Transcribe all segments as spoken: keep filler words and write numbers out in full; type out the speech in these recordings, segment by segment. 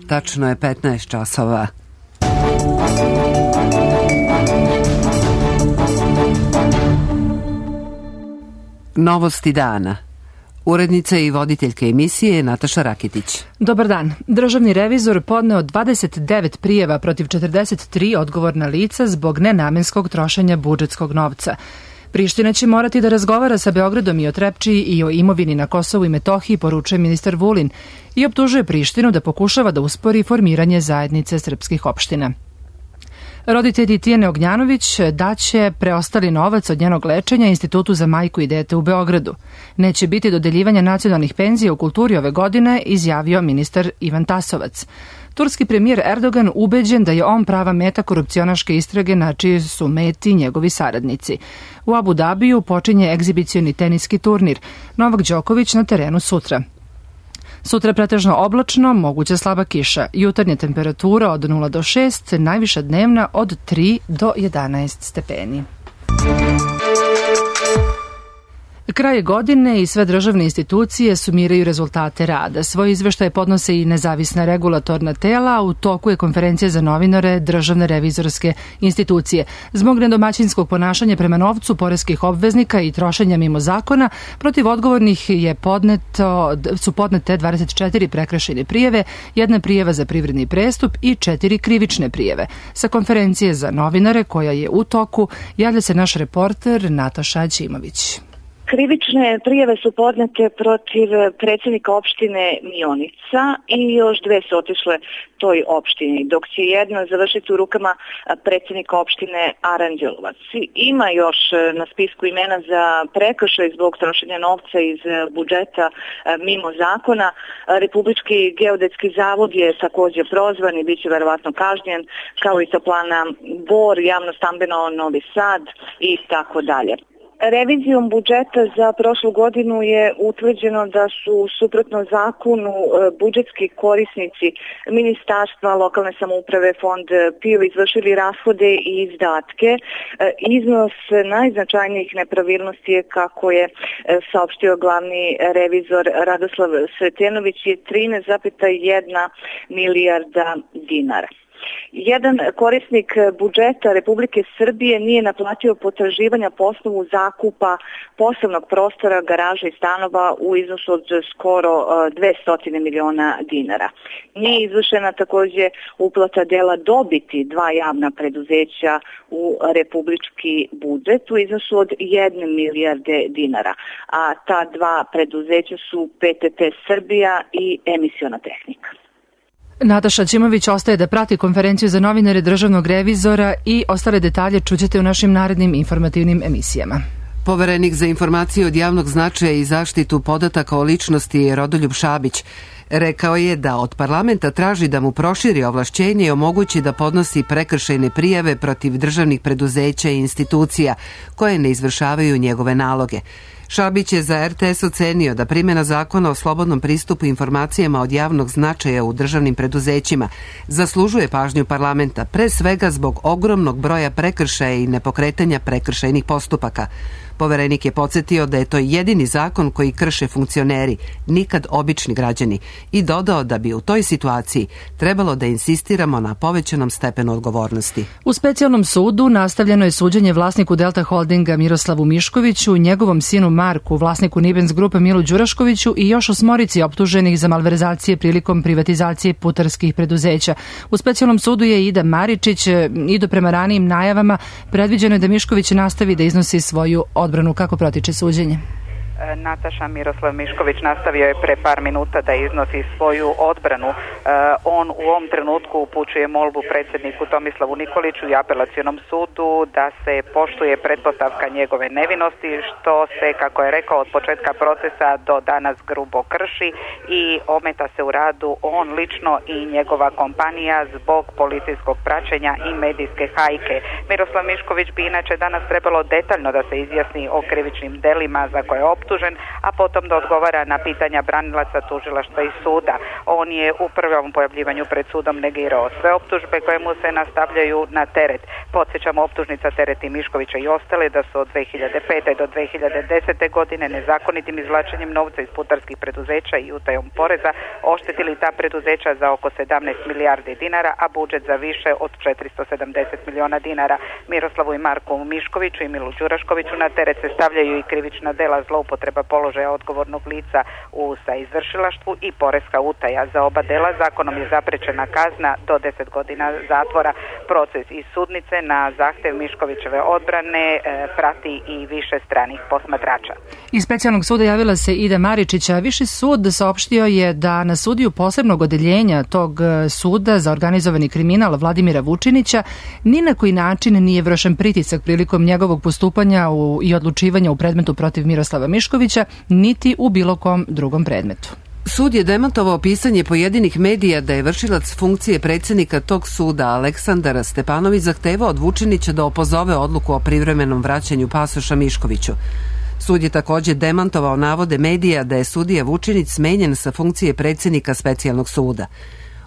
Tačno je petnaest časova. Novosti dana. Urednica i voditeljka emisije Nataša Rakitić. Dobar dan. Državni revizor podneo dvadeset devet prijava protiv četrdeset tri odgovorna lica zbog nenamenskog trošenja budžetskog novca. Priština će morati da razgovara sa Beogradom i o Trepčiji i o imovini na Kosovu i Metohiji, poručuje ministar Vulin, i optužuje Prištinu da pokušava da uspori formiranje zajednice srpskih opština. Roditelji Tijane Ognjanović daće preostali novac od njenog lečenja Institutu za majku i dete u Beogradu. Neće biti dodeljivanja nacionalnih penzija u kulturi ove godine, izjavio ministar Ivan Tasovac. Turski premijer Erdogan ubeđen da je on prava meta korupcionaške istrage na čiji su meti njegovi saradnici. U Abu Dabiju počinje egzibicioni teniski turnir. Novak Đoković na terenu sutra. Sutra pretežno oblačno, moguća slaba kiša. Jutarnja temperatura od nula do šest, najviša dnevna od tri do jedanaest stepeni. Kraj godine i sve državne institucije sumiraju rezultate rada. Svoje izveštaje podnose i nezavisna regulatorna tela, a u toku je konferencija za novinare Državne revizorske institucije. Zbog nedomaćinskog ponašanja prema novcu poreskih obveznika i trošenja mimo zakona, protiv odgovornih je podneto, su podnete dvadeset četiri prekršajne prijave, jedna prijava za privredni prestup i četiri krivične prijave. Sa konferencije za novinare, koja je u toku, javlja se naš reporter Nataša Ćimović. Krivične prijave su podnete protiv predsjednika opštine Mionica i još dve su otišle toj opštini, dok će jedna završiti u rukama predsjednika opštine Aranđelovac. Ima još na spisku imena za prekršaj zbog trošenja novca iz budžeta mimo zakona. Republički geodetski zavod je također prozvan i bit će verovatno kažnjen, kao i toplana Bor, javno stambeno Novi Sad i tako dalje. Revizijom budžeta za prošlu godinu je utvrđeno da su suprotno zakonu budžetski korisnici ministarstva, lokalne samouprave, fond P I O izvršili rashode i izdatke. Iznos najznačajnijih nepravilnosti je, kako je saopštio glavni revizor Radoslav Sretenović, je trinaest zarez jedna milijarda dinara. Jedan korisnik budžeta Republike Srbije nije naplatio potraživanja po osnovu zakupa poslovnog prostora, garaža i stanova u iznosu od skoro dvesta miliona dinara. Nije izvršena također uplata dela dobiti dva javna preduzeća u republički budžet u iznosu od jedne milijarde dinara, a ta dva preduzeća su P T T Srbija i Emisiona tehnika. Nataša Ćimović ostaje da prati konferenciju za novinare Državnog revizora i ostale detalje čućete u našim narednim informativnim emisijama. Poverenik za informacije od javnog značaja i zaštitu podataka o ličnosti Rodoljub Šabić rekao je da od parlamenta traži da mu proširi ovlašćenje i omogući da podnosi prekršajne prijave protiv državnih preduzeća i institucija koje ne izvršavaju njegove naloge. Šabić je za R T S ocenio da primjena zakona o slobodnom pristupu informacijama od javnog značaja u državnim preduzećima zaslužuje pažnju parlamenta, pre svega zbog ogromnog broja prekršaja i nepokretanja prekršajnih postupaka. Poverenik je podsjetio da je to jedini zakon koji krše funkcioneri, nikad obični građani, i dodao da bi u toj situaciji trebalo da insistiramo na povećanom stepenu odgovornosti. U specijalnom sudu nastavljeno je suđenje vlasniku Delta Holdinga Miroslavu Miškoviću, njegovom sinu Marku, vlasniku Nibens Grupe Milu Đuraškoviću i još osmorici optuženih za malverzacije prilikom privatizacije putarskih preduzeća. U specijalnom sudu je Ida Maričić i do prema ranijim najavama predviđeno je da Mišković nastavi da iznosi svoju odbranu. Kako protiče suđenje? Nataša, Miroslav Mišković nastavio je pre par minuta da iznosi svoju odbranu. On u ovom trenutku upućuje molbu predsjedniku Tomislavu Nikoliću i apelacionom sudu da se poštuje pretpostavka njegove nevinosti, što se, kako je rekao, od početka procesa do danas grubo krši i ometa se u radu on lično i njegova kompanija zbog policijskog praćenja i medijske hajke. Miroslav Mišković bi inače danas trebalo detaljno da se izjasni o krivičnim delima za koje je optužen, optužen, a potom da odgovara na pitanja branilaca, tužilaštva i suda. On je u prvom pojavljivanju pred sudom negirao sve optužbe koje mu se nastavljaju na teret. Podsjećamo, optužnica tereti Miškovića i ostale da su od dve hiljade pete do dve hiljade desete godine nezakonitim izvlačenjem novca iz putarskih preduzeća i utajom poreza oštetili ta preduzeća za oko sedamnaest milijardi dinara, a budžet za više od četiristo sedamdeset miliona dinara. Miroslavu i Marku Miškoviću i Milu Đuraškoviću na teret se stavljaju i krivična dela zloupotreba položaja odgovornog lica u saizvršilaštvu i poreska utaja. Za oba dela zakonom je zaprečena kazna do deset godina zatvora. Proces iz sudnice na zahtev Miškovićeve odbrane e, prati i više stranih posmatrača. Iz specijalnog suda javila se Ida Maričića. Viši sud saopštio je da na sudiju posebnog odeljenja tog suda za organizovani kriminal Vladimira Vučinića ni na koji način nije vršen pritisak prilikom njegovog postupanja u, i odlučivanja u predmetu protiv Miroslava Miškovića, niti u bilo kom drugom predmetu. Sud je demantovao pisanje pojedinih medija da je vršilac funkcije predsjednika tog suda Aleksandar Stepanović zahtevao od Vučinića da opozove odluku o privremenom vraćanju pasoša Miškoviću. Sud je također demantovao navode medija da je sudija Vučinić smenjen sa funkcije predsjednika specijalnog suda.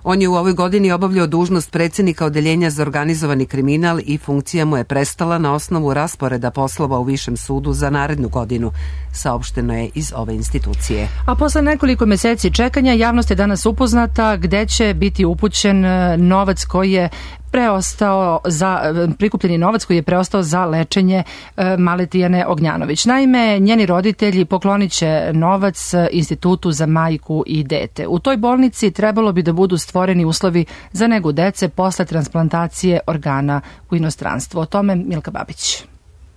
On je u ovoj godini obavljao dužnost predsjednika odeljenja za organizovani kriminal i funkcija mu je prestala na osnovu rasporeda poslova u Višem sudu za narednu godinu, saopšteno je iz ove institucije. A posle nekoliko meseci čekanja javnost je danas upoznata gde će biti upućen novac koji je preostao za prikupljeni novac koji je preostao za lečenje e, male Tijane Ognjanović. Naime, njeni roditelji poklonit će novac Institutu za majku i dete. U toj bolnici trebalo bi da budu stvoreni uslovi za negu dece posle transplantacije organa u inostranstvu. O tome Milka Babić.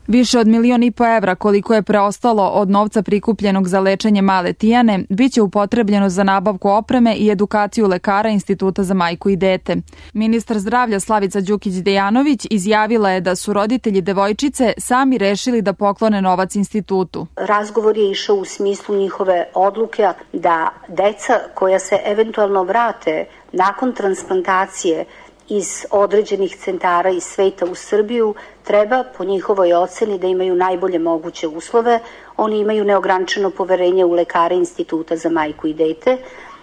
Više od milion i po evra koliko je preostalo od novca prikupljenog za lečenje male Tijane biće upotrebljeno za nabavku opreme i edukaciju lekara Instituta za majku i dete. Ministar zdravlja Slavica Đukić-Dejanović izjavila je da su roditelji devojčice sami rešili da poklone novac institutu. Razgovor je išao u smislu njihove odluke da deca koja se eventualno vrate nakon transplantacije iz određenih centara iz sveta u Srbiju treba po njihovoj oceni da imaju najbolje moguće uslove. Oni imaju neograničeno poverenje u lekare Instituta za majku i dete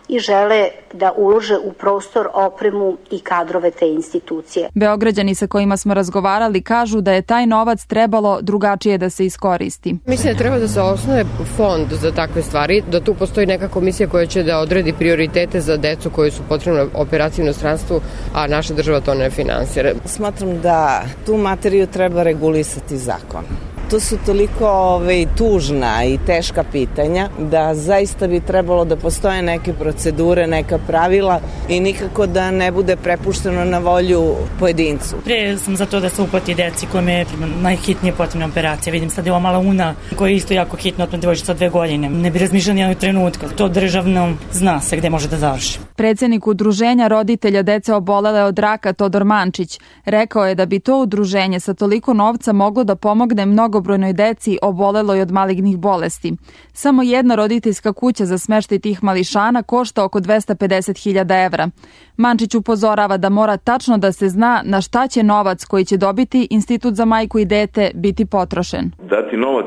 i žele da ulože u prostor, opremu i kadrove te institucije. Beograđani sa kojima smo razgovarali kažu da je taj novac trebalo drugačije da se iskoristi. Mislim da treba da se osnuje fond za takve stvari, da tu postoji neka komisija koja će da odredi prioritete za decu koji su potrebne operaciji u inostranstvu, a naša država to ne finansira. Smatram da tu materiju treba regulisati zakon. To su toliko ove, tužna i teška pitanja da zaista bi trebalo da postoje neke procedure, neka pravila i nikako da ne bude prepušteno na volju pojedincu. Pre sam za to da se uplati deci kojima je najhitnije potrebna operacija. Vidim sad je ova mala Una koja je isto jako hitno od devojčica od dve godine. Ne bi razmišljali nijednog trenutka. To državno zna se gde može da završi. Predsednik udruženja roditelja dece obolele od raka Todor Mančić rekao je da bi to udruženje sa toliko novca moglo da pomogne mnogobrojnoj deci oboleloj od malignih bolesti. Samo jedna roditeljska kuća za smeštaj tih mališana košta oko dvesta pedeset hiljada evra. Mančić upozorava da mora tačno da se zna na šta će novac koji će dobiti Institut za majku i dete biti potrošen. Dati novac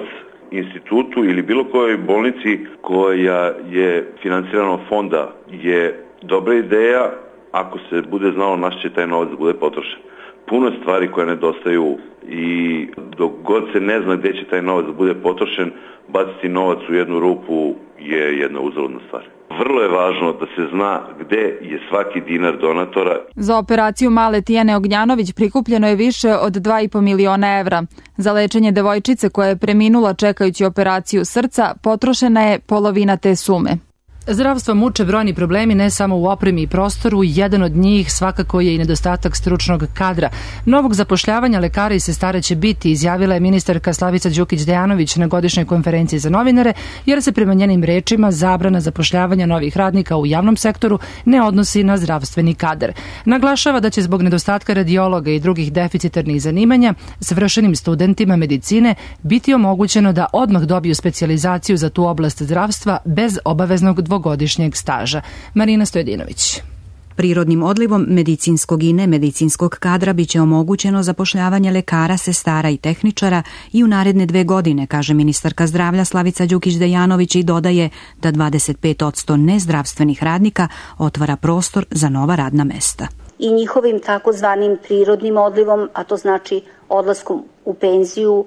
institutu ili bilo kojoj bolnici koja je finansirana od fonda je dobra ideja ako se bude znalo na što će taj novac da bude potrošen. Puno stvari koje nedostaju i dok god se ne zna gde će taj novac da bude potrošen, baciti novac u jednu rupu je jedna uzaludna stvar. Vrlo je važno da se zna gde je svaki dinar donatora. Za operaciju male Tijane Ognjanović prikupljeno je više od dva i po miliona evra. Za lečenje devojčice koja je preminula čekajući operaciju srca potrošena je polovina te sume. Zdravstvo muče brojni problemi ne samo u opremi i prostoru, jedan od njih svakako je i nedostatak stručnog kadra. Novog zapošljavanja lekara i sestara će biti, izjavila je ministarka Slavica Đukić-Dejanović na godišnjoj konferenciji za novinare, jer se prema njenim rečima zabrana zapošljavanja novih radnika u javnom sektoru ne odnosi na zdravstveni kadar. Naglašava da će zbog nedostatka radiologa i drugih deficitarnih zanimanja svršenim studentima medicine biti omogućeno da odmah dobiju specijalizaciju za tu oblast zdravstva bez obaveznog dvogodišnjeg staža. Marina Stojedinović. Prirodnim odlivom medicinskog i nemedicinskog kadra biće omogućeno zapošljavanje lekara, sestara i tehničara i u naredne dve godine, kaže ministarka zdravlja Slavica Đukić-Dejanović i dodaje da dvadeset pet posto nezdravstvenih radnika otvara prostor za nova radna mesta. I njihovim takozvanim prirodnim odlivom, a to znači odlaskom u penziju,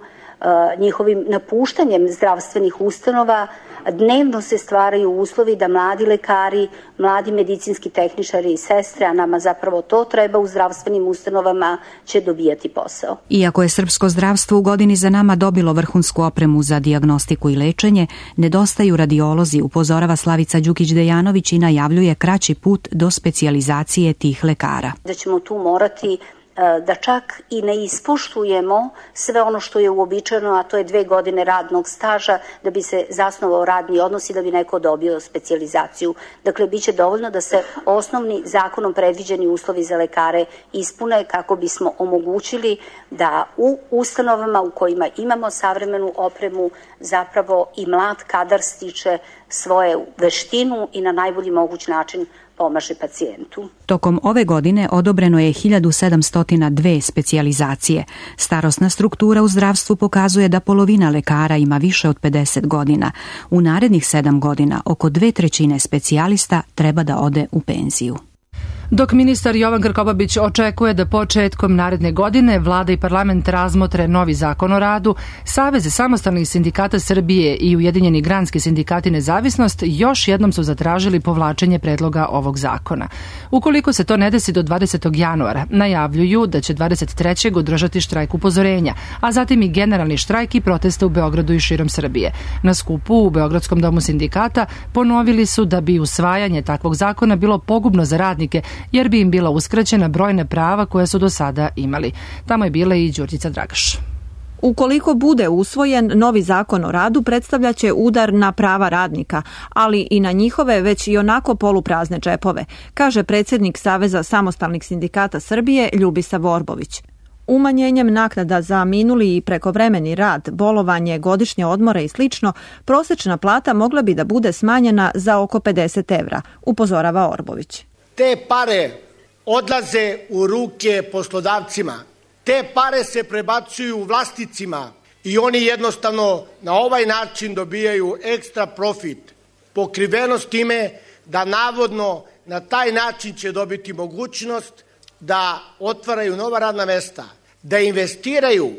njihovim napuštanjem zdravstvenih ustanova, dnevno se stvaraju uslovi da mladi lekari, mladi medicinski tehničari i sestre, a nama zapravo to treba u zdravstvenim ustanovama, će dobijati posao. Iako je srpsko zdravstvo u godini za nama dobilo vrhunsku opremu za dijagnostiku i lečenje, nedostaju radiolozi, upozorava Slavica Đukić-Dejanović i najavljuje kraći put do specijalizacije tih lekara. Da ćemo tu morati da čak i ne ispoštujemo sve ono što je uobičajeno, a to je dve godine radnog staža da bi se zasnovao radni odnos i da bi neko dobio specijalizaciju. Dakle, bit će dovoljno da se osnovni zakonom predviđeni uslovi za lekare ispune kako bismo omogućili da u ustanovama u kojima imamo savremenu opremu zapravo i mlad kadar stiče svoju veštinu i na najbolji moguć način pomaže pacijentu. Tokom ove godine odobreno je hiljadu sedamsto dva specijalizacije. Starosna struktura u zdravstvu pokazuje da polovina lekara ima više od pedeset godina. U narednih sedam godina oko dve trećine specijalista treba da ode u penziju. Dok ministar Jovan Krkobabić očekuje da početkom naredne godine vlada i parlament razmotre novi zakon o radu, Savez samostalnih sindikata Srbije i Ujedinjeni granski sindikati Nezavisnost još jednom su zatražili povlačenje predloga ovog zakona. Ukoliko se to ne desi do dvadesetog januara, najavljuju da će dvadeset trećeg održati štrajk upozorenja, a zatim i generalni štrajk i proteste u Beogradu i širom Srbije. Na skupu u Beogradskom domu sindikata ponovili su da bi usvajanje takvog zakona bilo pogubno za radnike, jer bi im bila uskraćena brojna prava koje su do sada imali. Tamo je bila i Đurđica Dragaš. Ukoliko bude usvojen, novi zakon o radu predstavljaće udar na prava radnika, ali i na njihove već i onako poluprazne džepove, kaže predsjednik Saveza samostalnih sindikata Srbije Ljubisa Vorbović. Umanjenjem naknada za minuli i prekovremeni rad, bolovanje, godišnje odmore i slično, prosječna plata mogla bi da bude smanjena za oko pedeset evra, upozorava Orbović. Te pare odlaze u ruke poslodavcima. Te pare se prebacuju vlasnicima i oni jednostavno na ovaj način dobijaju ekstra profit. Pokrivenost time da navodno na taj način će dobiti mogućnost da otvaraju nova radna mesta, da investiraju,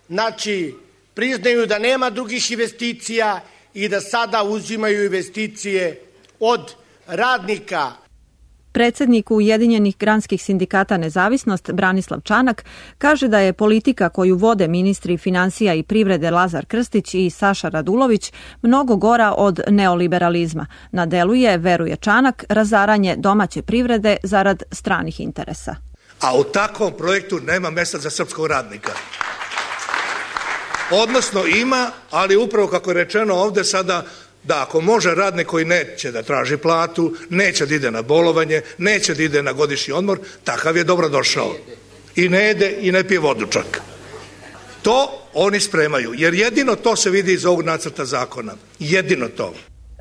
znači priznaju da nema drugih investicija i da sada uzimaju investicije od radnika. Predsjednik Ujedinjenih granskih sindikata Nezavisnost Branislav Čanak kaže da je politika koju vode ministri finansija i privrede Lazar Krstić i Saša Radulović mnogo gora od neoliberalizma. Na delu je, veruje Čanak, razaranje domaće privrede zarad stranih interesa. A u takvom projektu nema mjesta za srpskog radnika. Odnosno ima, ali upravo kako je rečeno ovdje sada, da ako može radnik koji neće da traži platu, neće da ide na bolovanje, neće da ide na godišnji odmor, takav je dobro došao. I ne jede i ne pije vodu čak. To oni spremaju, jer jedino to se vidi iz ovog nacrta zakona. Jedino to.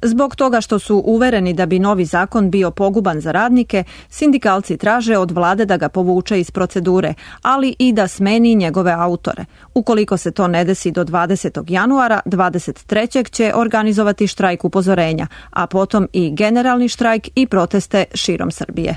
Zbog toga što su uvereni da bi novi zakon bio poguban za radnike, sindikalci traže od vlade da ga povuče iz procedure, ali i da smeni njegove autore. Ukoliko se to ne desi do dvadesetog januara, dvadeset trećeg će organizovati štrajk upozorenja, a potom i generalni štrajk i proteste širom Srbije.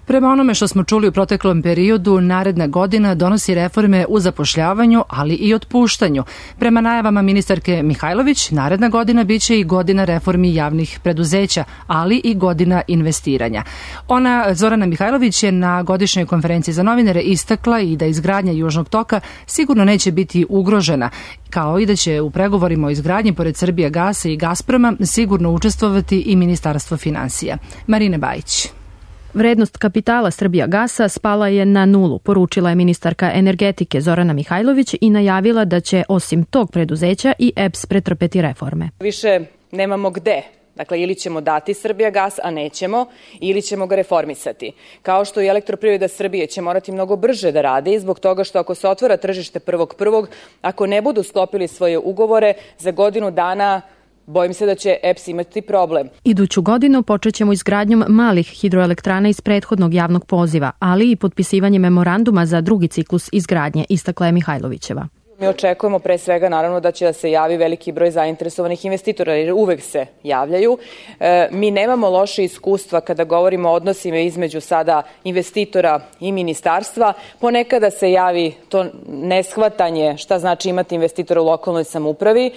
Prema onome što smo čuli u proteklom periodu, naredna godina donosi reforme u zapošljavanju, ali i otpuštanju. Prema najavama ministarke Mihajlović, naredna godina biće i godina reformi javnih preduzeća, ali i godina investiranja. Ona, Zorana Mihajlović, je na godišnjoj konferenciji za novinare istakla i da izgradnja Južnog toka sigurno neće biti ugrožena, kao i da će u pregovorima o izgradnji pored Srbijagasa i Gazproma sigurno učestvovati i Ministarstvo finansija. Marina Bajić. Vrednost kapitala Srbijagasa spala je na nulu, poručila je ministarka energetike Zorana Mihajlović i najavila da će osim tog preduzeća i E P S pretrpeti reforme. Više nemamo gde. Dakle, ili ćemo dati Srbijagas, a nećemo, ili ćemo ga reformisati. Kao što i Elektroprivreda Srbije će morati mnogo brže da radi, zbog toga što ako se otvara tržište prvog prvog, ako ne budu sklopili svoje ugovore, za godinu dana bojim se da će E P S imati problem. Iduću godinu počećemo izgradnjom malih hidroelektrana iz prethodnog javnog poziva, ali i potpisivanje memoranduma za drugi ciklus izgradnje, istakla je Mihajlovićeva. Mi očekujemo pre svega naravno da će da se javi veliki broj zainteresovanih investitora, jer uvek se javljaju. E, mi nemamo loše iskustva kada govorimo o odnosima između sada investitora i ministarstva. Ponekada se javi to neshvatanje šta znači imati investitora u lokalnoj samoupravi,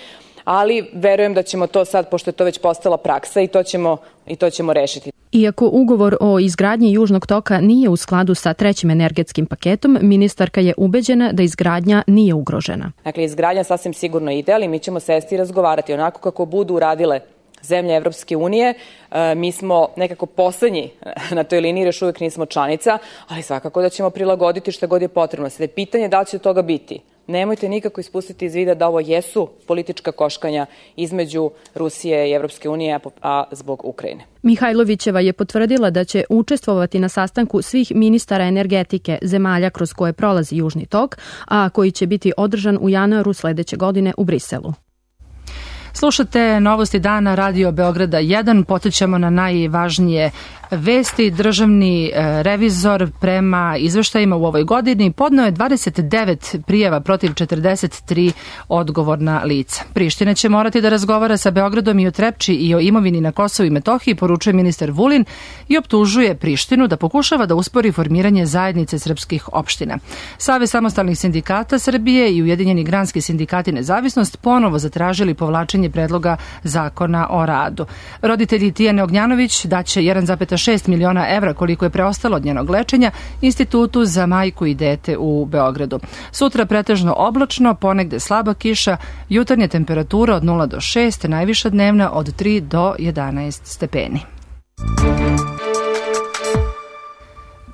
ali verujem da ćemo to sad, pošto je to već postala praksa, i to ćemo, i to ćemo rešiti. Iako ugovor o izgradnji Južnog toka nije u skladu sa trećim energetskim paketom, ministarka je ubeđena da izgradnja nije ugrožena. Dakle, izgradnja sasvim sigurno ide, ali mi ćemo sesti i razgovarati onako kako budu uradile zemlje Evropske unije. E, mi smo nekako poslednji na toj liniji, još uvijek nismo članica, ali svakako da ćemo prilagoditi šta god je potrebno. Sada je pitanje da li će toga biti. Nemojte nikako ispustiti iz vida da ovo jesu politička koškanja između Rusije i Evropske unije, a zbog Ukrajine. Mihajlovićeva je potvrdila da će učestvovati na sastanku svih ministara energetike zemalja kroz koje prolazi Južni tok, a koji će biti održan u januaru sledeće godine u Briselu. Slušate Novosti dana Radio Beograda jedan, podsjećamo na najvažnije vesti. Državni revizor prema izveštajima u ovoj godini podneo je dvadeset devet prijava protiv četrdeset tri odgovorna lica. Priština će morati da razgovara sa Beogradom i o Trepči i o imovini na Kosovu i Metohiji, poručuje ministar Vulin, i optužuje Prištinu da pokušava da uspori formiranje zajednice srpskih opština. Savez samostalnih sindikata Srbije i Ujedinjeni granski sindikati Nezavisnost ponovo zatražili povlačenje predloga zakona o radu. Roditelji Tijane Ognjanović daće jedan zarez šest miliona evra, koliko je preostalo od njenog lečenja, Institutu za majku i dete u Beogradu. Sutra pretežno oblačno, ponegde slaba kiša, jutarnja temperatura od nula do šest, najviša dnevna od tri do jedanaest stepeni.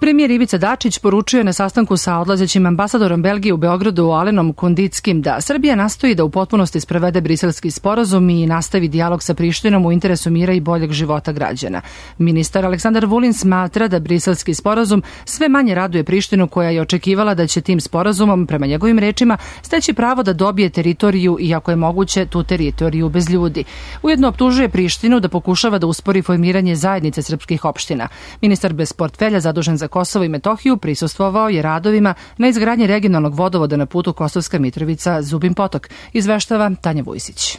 Premijer Ivica Dačić poručuje na sastanku sa odlazećim ambasadorom Belgije u Beogradu Alenom Kondickim da Srbija nastoji da u potpunosti sprovede briselski sporazum i nastavi dijalog sa Prištinom u interesu mira i boljeg života građana. Ministar Aleksandar Vulin smatra da briselski sporazum sve manje raduje Prištinu, koja je očekivala da će tim sporazumom, prema njegovim rečima, steći pravo da dobije teritoriju, iako je moguće tu teritoriju bez ljudi. Ujedno optužuje Prištinu da pokušava da uspori formiranje zajednice srpskih opština. Ministar bez portfelja zadužen za Kosovo i Metohiju prisustvovao je radovima na izgradnji regionalnog vodovoda na putu Kosovska Mitrovica Zubin Potok, izveštava Tanja Vujsić.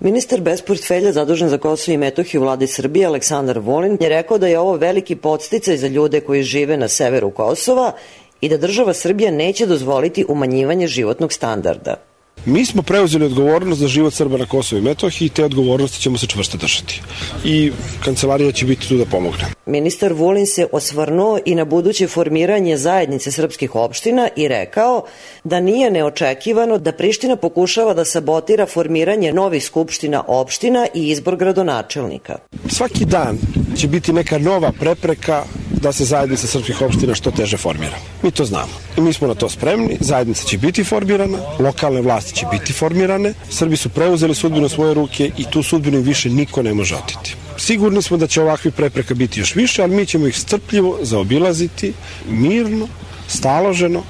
Ministar bez portfelja zadužen za Kosovo i Metohiju u vladi Srbije Aleksandar Vulin je rekao da je ovo veliki podsticaj za ljude koji žive na severu Kosova i da država Srbija neće dozvoliti umanjivanje životnog standarda. Mi smo preuzeli odgovornost za život Srba na Kosovu i Metohiji i te odgovornosti ćemo se čvrsto držati. I kancelarija će biti tu da pomogne. Ministar Vulin se osvrnuo i na buduće formiranje zajednice srpskih opština i rekao da nije neočekivano da Priština pokušava da sabotira formiranje novih skupština opština i izbor gradonačelnika. Svaki dan će biti neka nova prepreka da se zajednica srpskih opština što teže formira. Mi to znamo. I mi smo na to spremni. Zajednica će biti formirana, lokalne vlasti će biti formirane. Srbi su preuzeli sudbinu svoje ruke i tu sudbinu više niko ne može oteti. Sigurni smo da će ovakvih prepreka biti još više, ali mi ćemo ih strpljivo zaobilaziti, mirno, staloženo.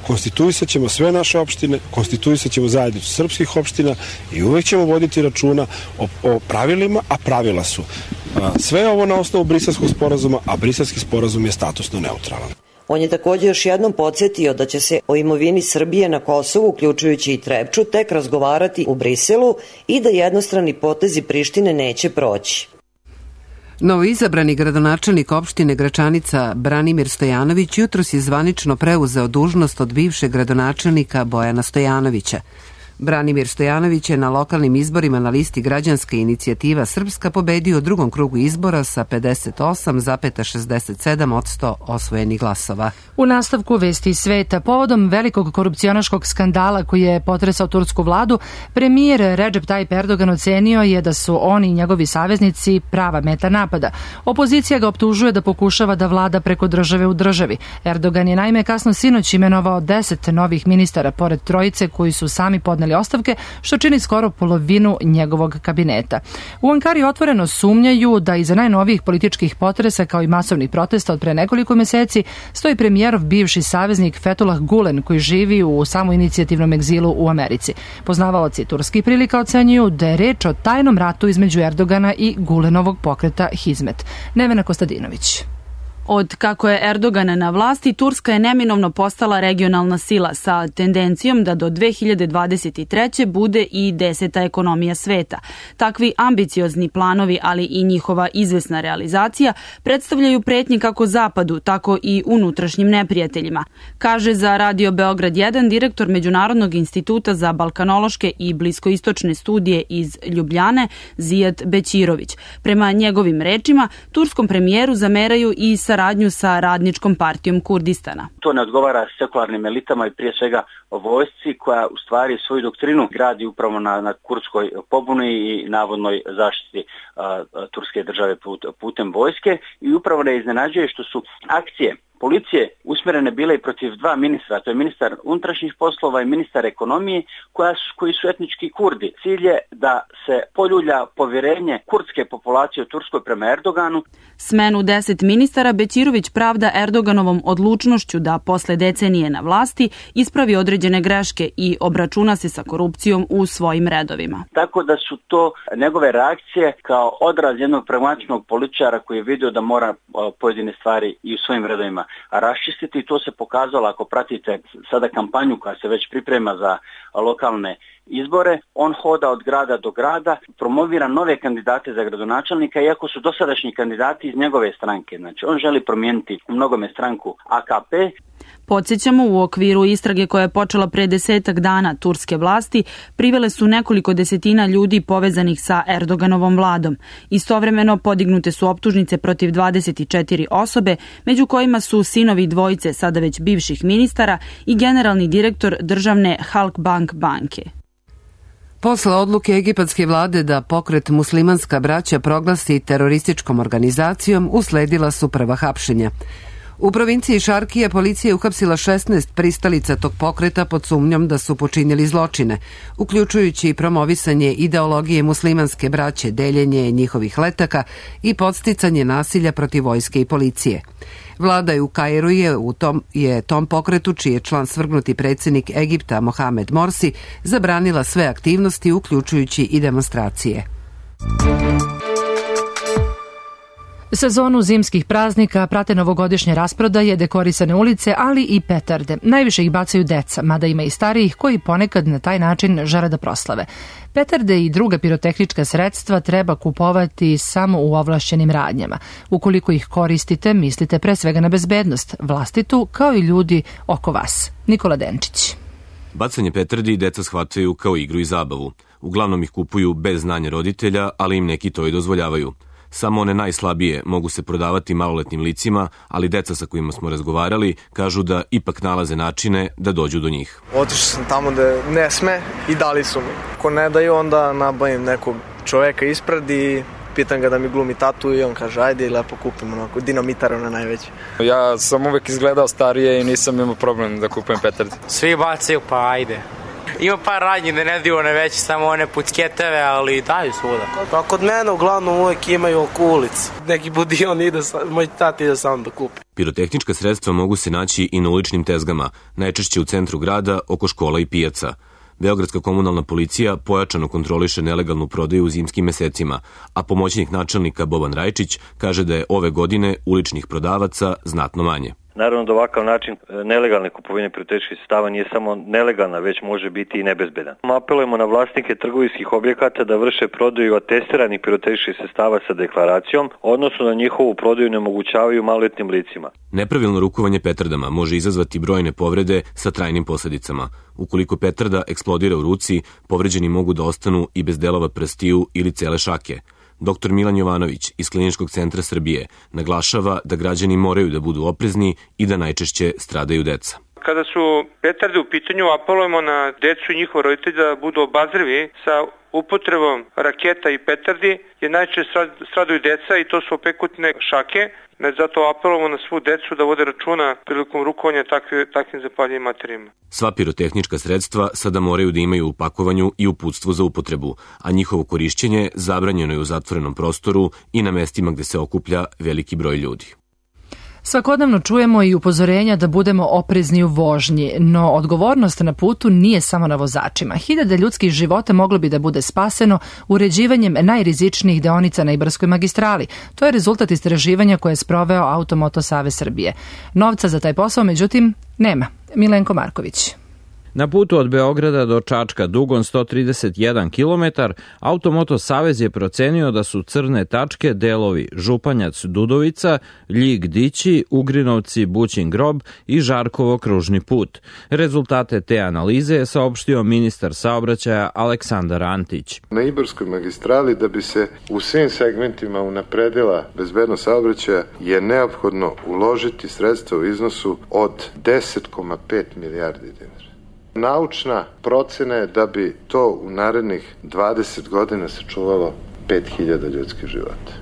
Konstituisat ćemo sve naše opštine, konstituisat ćemo zajednicu srpskih opština i uvek ćemo voditi računa o, o pravilima, a pravila su a, sve ovo na osnovu Briselskog sporazuma, a Briselski sporazum je statusno neutralan. On je također još jednom podsjetio da će se o imovini Srbije na Kosovu, uključujući i Trepču, tek razgovarati u Briselu i da jednostrani potezi Prištine neće proći. Novoizabrani gradonačelnik opštine Gračanica Branimir Stojanović jutros je zvanično preuzeo dužnost od bivšeg gradonačelnika Bojana Stojanovića. Branimir Stojanović je na lokalnim izborima na listi Građanska inicijativa Srpska pobedio u drugom krugu izbora sa pedeset osam zarez šezdeset sedam posto osvojenih glasova. U nastavku vesti sveta, povodom velikog korupcionaškog skandala koji je potresao tursku vladu, premijer Recep Tayyip Erdogan ocenio je da su oni i njegovi saveznici prava meta napada. Opozicija ga optužuje da pokušava da vlada preko države u državi. Erdogan je naime kasno sinoć imenovao deset novih ministara, pored trojice koji su sami podneli podneli ostavke, što čini skoro polovinu njegovog kabineta. U Ankari otvoreno sumnjaju da iza najnovijih političkih potresa kao i masovnih protesta od pre nekoliko meseci stoji premijerov bivši saveznik Fethullah Gulen koji živi u samoinicijativnom egzilu u Americi. Poznavaoci turskih prilika ocenjuju da je reč o tajnom ratu između Erdogana i Gulenovog pokreta Hizmet. Nevena Kostadinović. Od kako je Erdogan na vlasti, Turska je neminovno postala regionalna sila sa tendencijom da do dve hiljade dvadeset treće bude i deseta ekonomija sveta. Takvi ambiciozni planovi, ali i njihova izvesna realizacija predstavljaju pretnje kako Zapadu, tako i unutrašnjim neprijateljima, kaže za Radio Beograd jedan direktor Međunarodnog instituta za balkanološke i bliskoistočne studije iz Ljubljane, Zijad Bećirović. Prema njegovim rečima, turskom premijeru zameraju i sa saradnju sa Radničkom partijom Kurdistana. To ne odgovara sekularnim elitama i prije svega vojsci koja u stvari svoju doktrinu gradi upravo na, na kurdskoj pobuni i navodnoj zaštiti a, a, turske države put, putem vojske i upravo ne iznenađuje što su akcije policije usmjerene bile i protiv dva ministra, to je ministar unutrašnjih poslova i ministar ekonomije, koja su, koji su etnički Kurdi. Cilj je da se poljulja povjerenje kurdske populacije u Turskoj prema Erdoganu. Smenu deset ministara Bećirović pravda Erdoganovom odlučnošću da posle decenije na vlasti ispravi određene greške i obračuna se sa korupcijom u svojim redovima. Tako da su to njegove reakcije kao odraz jednog pragmatičnog političara koji je vidio da mora pojedine stvari i u svojim redovima raščistiti i to se pokazalo ako pratite sada kampanju koja se već priprema za lokalne izbore. On hoda od grada do grada, promovira nove kandidate za gradonačelnika iako su dosadašnji kandidati iz njegove stranke. Znači on želi promijeniti u mnogome stranku A K P. Podsjećamo, u okviru istrage koja je počela pre desetak dana, turske vlasti privele su nekoliko desetina ljudi povezanih sa Erdoganovom vladom. Istovremeno podignute su optužnice protiv dvadeset četiri osobe, među kojima su sinovi dvojice sada već bivših ministara i generalni direktor državne Halkbank banke. Posle odluke egipatske vlade da pokret Muslimanska braća proglasi terorističkom organizacijom, usledila su prva hapšenja. U provinciji Šarkija policija je uhapsila šesnaest pristalica tog pokreta pod sumnjom da su počinili zločine, uključujući i promovisanje ideologije muslimanske braće, deljenje njihovih letaka i podsticanje nasilja protiv vojske i policije. Vlada je u Kairu je u tom, je tom pokretu, čiji je član svrgnuti predsjednik Egipta Mohamed Morsi, zabranila sve aktivnosti, uključujući i demonstracije. Sezonu zimskih praznika prate novogodišnje rasprodaje, dekorisane ulice, ali i petarde. Najviše ih bacaju deca, mada ima i starijih koji ponekad na taj način žele da proslave. Petarde i druga pirotehnička sredstva treba kupovati samo u ovlašćenim radnjama. Ukoliko ih koristite, mislite pre svega na bezbednost, vlastitu kao i ljudi oko vas. Nikola Denčić. Bacanje petardi deca shvataju kao igru i zabavu. Uglavnom ih kupuju bez znanja roditelja, ali im neki to i dozvoljavaju. Samo one najslabije mogu se prodavati maloletnim licima, ali deca sa kojima smo razgovarali kažu da ipak nalaze načine da dođu do njih. Otišao sam tamo da ne sme i dali su mi. Ako ne daju, onda nabavim nekog čoveka ispred i pitam ga da mi glumi tatu i on kaže ajde i lepo kupim onako dinamitar na najveći. Ja sam uvek izgledao starije i nisam imao problem da kupujem petarde. Svi bacaju pa ajde. Ima par radnji da ne daju one veće, samo one pucketeve, ali daju svuda. Pa kod mene uglavnom uvek imaju oko ulic. Neki budion ide, moj tata ide sam da kupi. Pirotehnička sredstva mogu se naći i na uličnim tezgama, najčešće u centru grada, oko škola i pijaca. Beogradska komunalna policija pojačano kontroliše nelegalnu prodaju u zimskim mesecima, a pomoćnik načelnika Boban Rajčić kaže da je ove godine uličnih prodavaca znatno manje. Naravno da ovakav način nelegalne kupovine pirotehničkih sredstava nije samo nelegalna, već može biti i nebezbedan. Apelujemo na vlasnike trgovinskih objekata da vrše prodaju atestiranih pirotehničkih sredstava sa deklaracijom, odnosno da njihovu prodaju ne omogućavaju maloletnim licima. Nepravilno rukovanje petardama može izazvati brojne povrede sa trajnim posledicama. Ukoliko petarda eksplodira u ruci, povređeni mogu da ostanu i bez delova prstiju ili cele šake. Doktor Milan Jovanović iz Kliničkog centra Srbije naglašava da građani moraju da budu oprezni i da najčešće stradaju deca. Kada su petarde u pitanju, apelujemo na decu i njihove roditelje da budu obazrivi sa upotrebom raketa i petardi, jer najčešće stradaju deca i to su opekutne šake Ne, zato apelujemo na svu decu da vode računa prilikom rukovanja takvi, takvim zapaljivim materijama. Sva pirotehnička sredstva sada moraju da imaju u pakovanju i uputstvo za upotrebu, a njihovo korišćenje zabranjeno je u zatvorenom prostoru i na mestima gde se okuplja veliki broj ljudi. Svakodnevno čujemo i upozorenja da budemo oprezni u vožnji, no odgovornost na putu nije samo na vozačima. Hiljade ljudskih života moglo bi da bude spaseno uređivanjem najrizičnijih deonica na Ibarskoj magistrali. To je rezultat istraživanja koje je sproveo Automoto Savez Srbije. Novca za taj posao, međutim, nema. Milenko Marković. Na putu od Beograda do Čačka dugom sto trideset jedan kilometar, Automoto Savez je procenio da su crne tačke delovi Županjac-Dudovica, Ljig-Dići, Ugrinovci, Bućin grob i Žarkovo kružni put. Rezultate te analize je saopštio ministar saobraćaja Aleksandar Antić. Na Ibarskoj magistrali da bi se u svim segmentima unapredila bezbednost saobraćaja je neophodno uložiti sredstva u iznosu od deset zarez pet milijardi dinara. Naučna procena je da bi to u narednih dvadeset godina sačuvalo pet hiljada ljudskih života.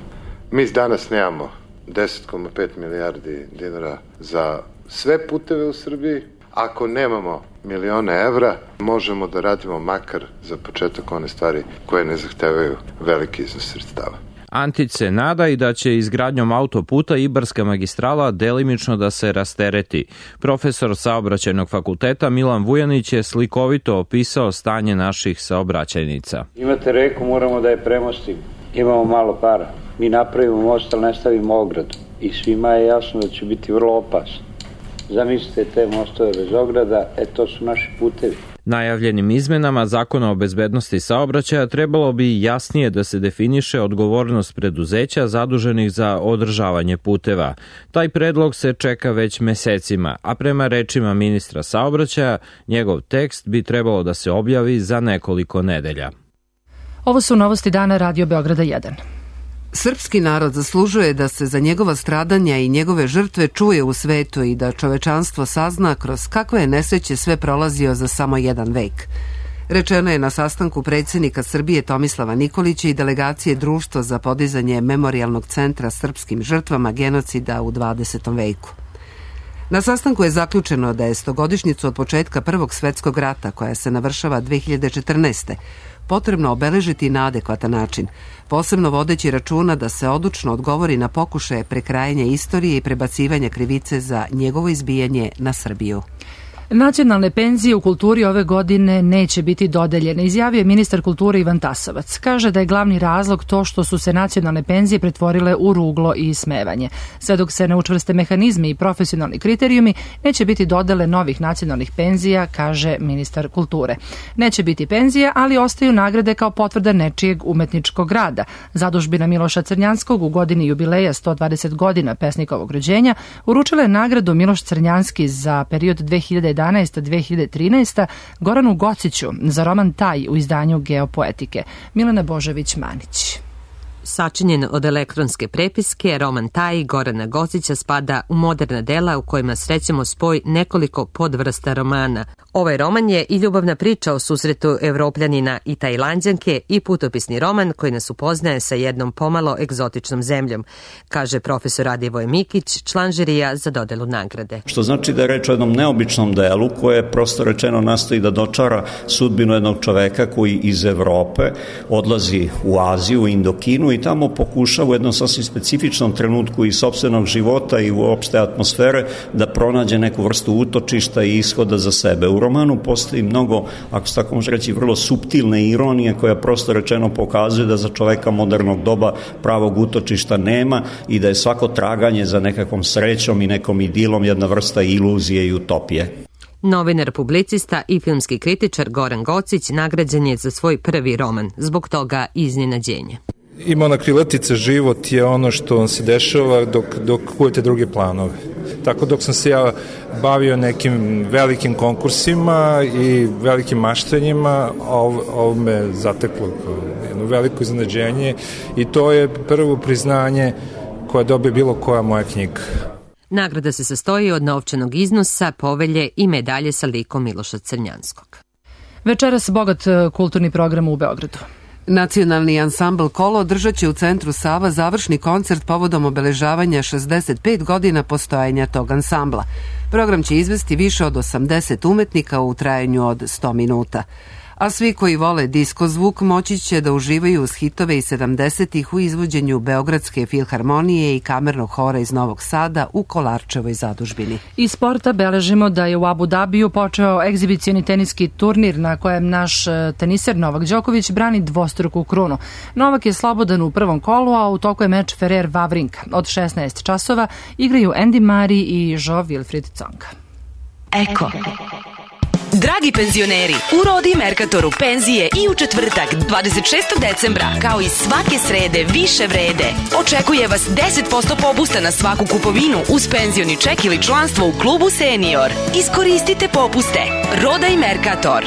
Mi danas nemamo deset zarez pet milijardi dinara za sve puteve u Srbiji. Ako nemamo milione evra, možemo da radimo makar za početak one stvari koje ne zahtevaju veliki iznos sredstava. Antić se nada i da će izgradnjom autoputa Ibarska magistrala delimično da se rastereti. Profesor saobraćajnog fakulteta Milan Vujanić je slikovito opisao stanje naših saobraćajnica. Imate reku, moramo da je premostimo. Imamo malo para. Mi napravimo most, ali ne stavimo ogradu. I svima je jasno da će biti vrlo opasno. Zamislite te mostove bez ograda, e to su naši putevi. Najavljenim izmenama Zakona o bezbednosti saobraćaja trebalo bi jasnije da se definiše odgovornost preduzeća zaduženih za održavanje puteva. Taj predlog se čeka već mesecima, a prema rečima ministra saobraćaja, njegov tekst bi trebalo da se objavi za nekoliko nedelja. Ovo su novosti dana Radio Beograda jedan. Srpski narod zaslužuje da se za njegova stradanja i njegove žrtve čuje u svetu i da čovečanstvo sazna kroz kakve je nesreće sve prolazio za samo jedan vek. Rečeno je na sastanku predsjednika Srbije Tomislava Nikolića i delegacije Društva za podizanje memorijalnog centra srpskim žrtvama genocida u dvadesetom veku. Na sastanku je zaključeno da je stogodišnjicu od početka Prvog svetskog rata, koja se navršava dve hiljade četrnaeste. potrebno obeležiti na adekvatan način, posebno vodeći računa da se odlučno odgovori na pokušaje prekrajanja istorije i prebacivanja krivice za njegovo izbijanje na Srbiju. Nacionalne penzije u kulturi ove godine neće biti dodeljene, izjavio je ministar kulture Ivan Tasovac. Kaže da je glavni razlog to što su se nacionalne penzije pretvorile u ruglo i ismevanje. Sve dok se ne učvrste mehanizmi i profesionalni kriterijumi, neće biti dodele novih nacionalnih penzija, kaže ministar kulture. Neće biti penzija, ali ostaju nagrade kao potvrda nečijeg umetničkog rada. Zadužbina Miloša Crnjanskog u godini jubileja sto dvadeset godina pesnikovog rođenja uručila je nagradu Miloš Crnjanski za period dve hiljade jedanaeste do dve hiljade trinaeste. Goranu Gociću za roman Taj u izdanju Geopoetike. Milena Božević-Manić. Sačinjen od elektronske prepiske, roman Taj Gorana Gocića spada u moderna dela u kojima srećemo spoj nekoliko podvrsta romana. Ovaj roman je i ljubavna priča o susretu Evropljanina i Tajlanđanke i putopisni roman koji nas upoznaje sa jednom pomalo egzotičnom zemljom, kaže profesor Radivoj Mikić, član žirija za dodelu nagrade. Što znači da je reč o jednom neobičnom delu koje prosto rečeno nastoji da dočara sudbinu jednog čoveka koji iz Evrope odlazi u Aziju, u Indokinu i tamo pokušava u jednom sasvim specifičnom trenutku i sopstvenog života i uopšte atmosfere da pronađe neku vrstu utočišta i ishoda za sebe. U romanu postoji mnogo, ako se tako može reći, vrlo suptilne ironije koja prosto rečeno pokazuje da za čoveka modernog doba pravog utočišta nema i da je svako traganje za nekakvom srećom i nekom idilom jedna vrsta iluzije i utopije. Novinar, publicista i filmski kritičar Goran Gocić nagrađen je za svoj prvi roman, zbog toga iznenađenje. Ima ona krilatica, život je ono što vam se dešava dok, dok kujete druge planove. Tako dok sam se ja bavio nekim velikim konkursima i velikim maštanjima, ovo, ovo me zateklo jedno veliko iznenađenje i to je prvo priznanje koje dobije bilo koja moja knjiga. Nagrada se sastoji od novčanog iznosa, povelje i medalje sa likom Miloša Crnjanskog. Večeras bogat kulturni program u Beogradu. Nacionalni ansambl Kolo održat će u centru Sava završni koncert povodom obeležavanja šezdeset pet godina postojanja tog ansambla. Program će izvesti više od osamdeset umetnika u trajanju od sto minuta. A svi koji vole disko zvuk moći će da uživaju uz hitove iz sedamdesetih u izvođenju Beogradske filharmonije i kamernog hora iz Novog Sada u Kolarčevoj zadužbini. Iz sporta beležimo da je u Abu Dabiju počeo egzibicioni teniski turnir na kojem naš teniser Novak Đoković brani dvostruku krunu. Novak je slobodan u prvom kolu, a u toku je meč Ferrer-Wawrinka. Od šesnaest časova igraju Andy Murray i Jo-Wilfried Tsonga. Eko. Dragi penzioneri, u Rodi Merkatoru penzije i u četvrtak dvadeset šestog decembra, kao i svake srede više vrede. Očekuje vas deset posto popusta na svaku kupovinu uz penzioni ček ili članstvo u klubu Senior. Iskoristite popuste. Roda i Merkator.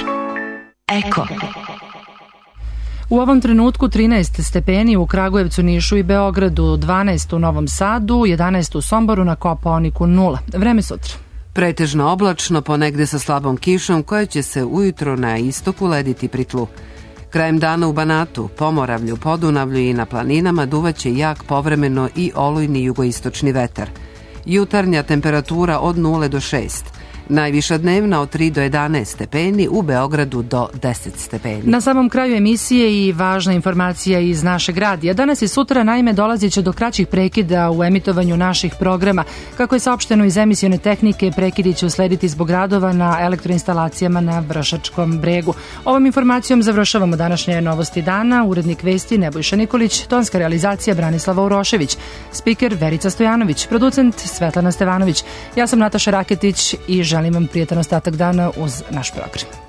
Eko. U ovom trenutku trinaest stepeni u Kragujevcu, Nišu i Beogradu, dvanaest u Novom Sadu, jedanaest u Somboru, na Kopaoniku nula. Vreme sutra. Pretežno oblačno, ponegde sa slabom kišom koja će se ujutro na istoku lediti pri tlu. Krajem dana u Banatu, Pomoravlju, Podunavlju i na planinama duvaće jak povremeno i olujni jugoistočni vetar. Jutarnja temperatura od nula do šest. Najviša dnevna od tri do jedanaest stepeni, u Beogradu do deset stepeni. Na samom kraju emisije i važna informacija iz našeg radija. Danas i sutra naime dolazit će do kraćih prekida u emitovanju naših programa. Kako je saopšteno iz emisione tehnike, prekidi će uslediti zbog radova na elektroinstalacijama na Vršačkom bregu. Ovom informacijom završavamo današnje novosti dana. Urednik vesti Nebojša Nikolić, tonska realizacija Branislava Urošević, spiker Verica Stojanović, producent Svetlana Stevanović. Ja sam Nataša Raketić i želim vam prijetan ostatak dana uz naš program.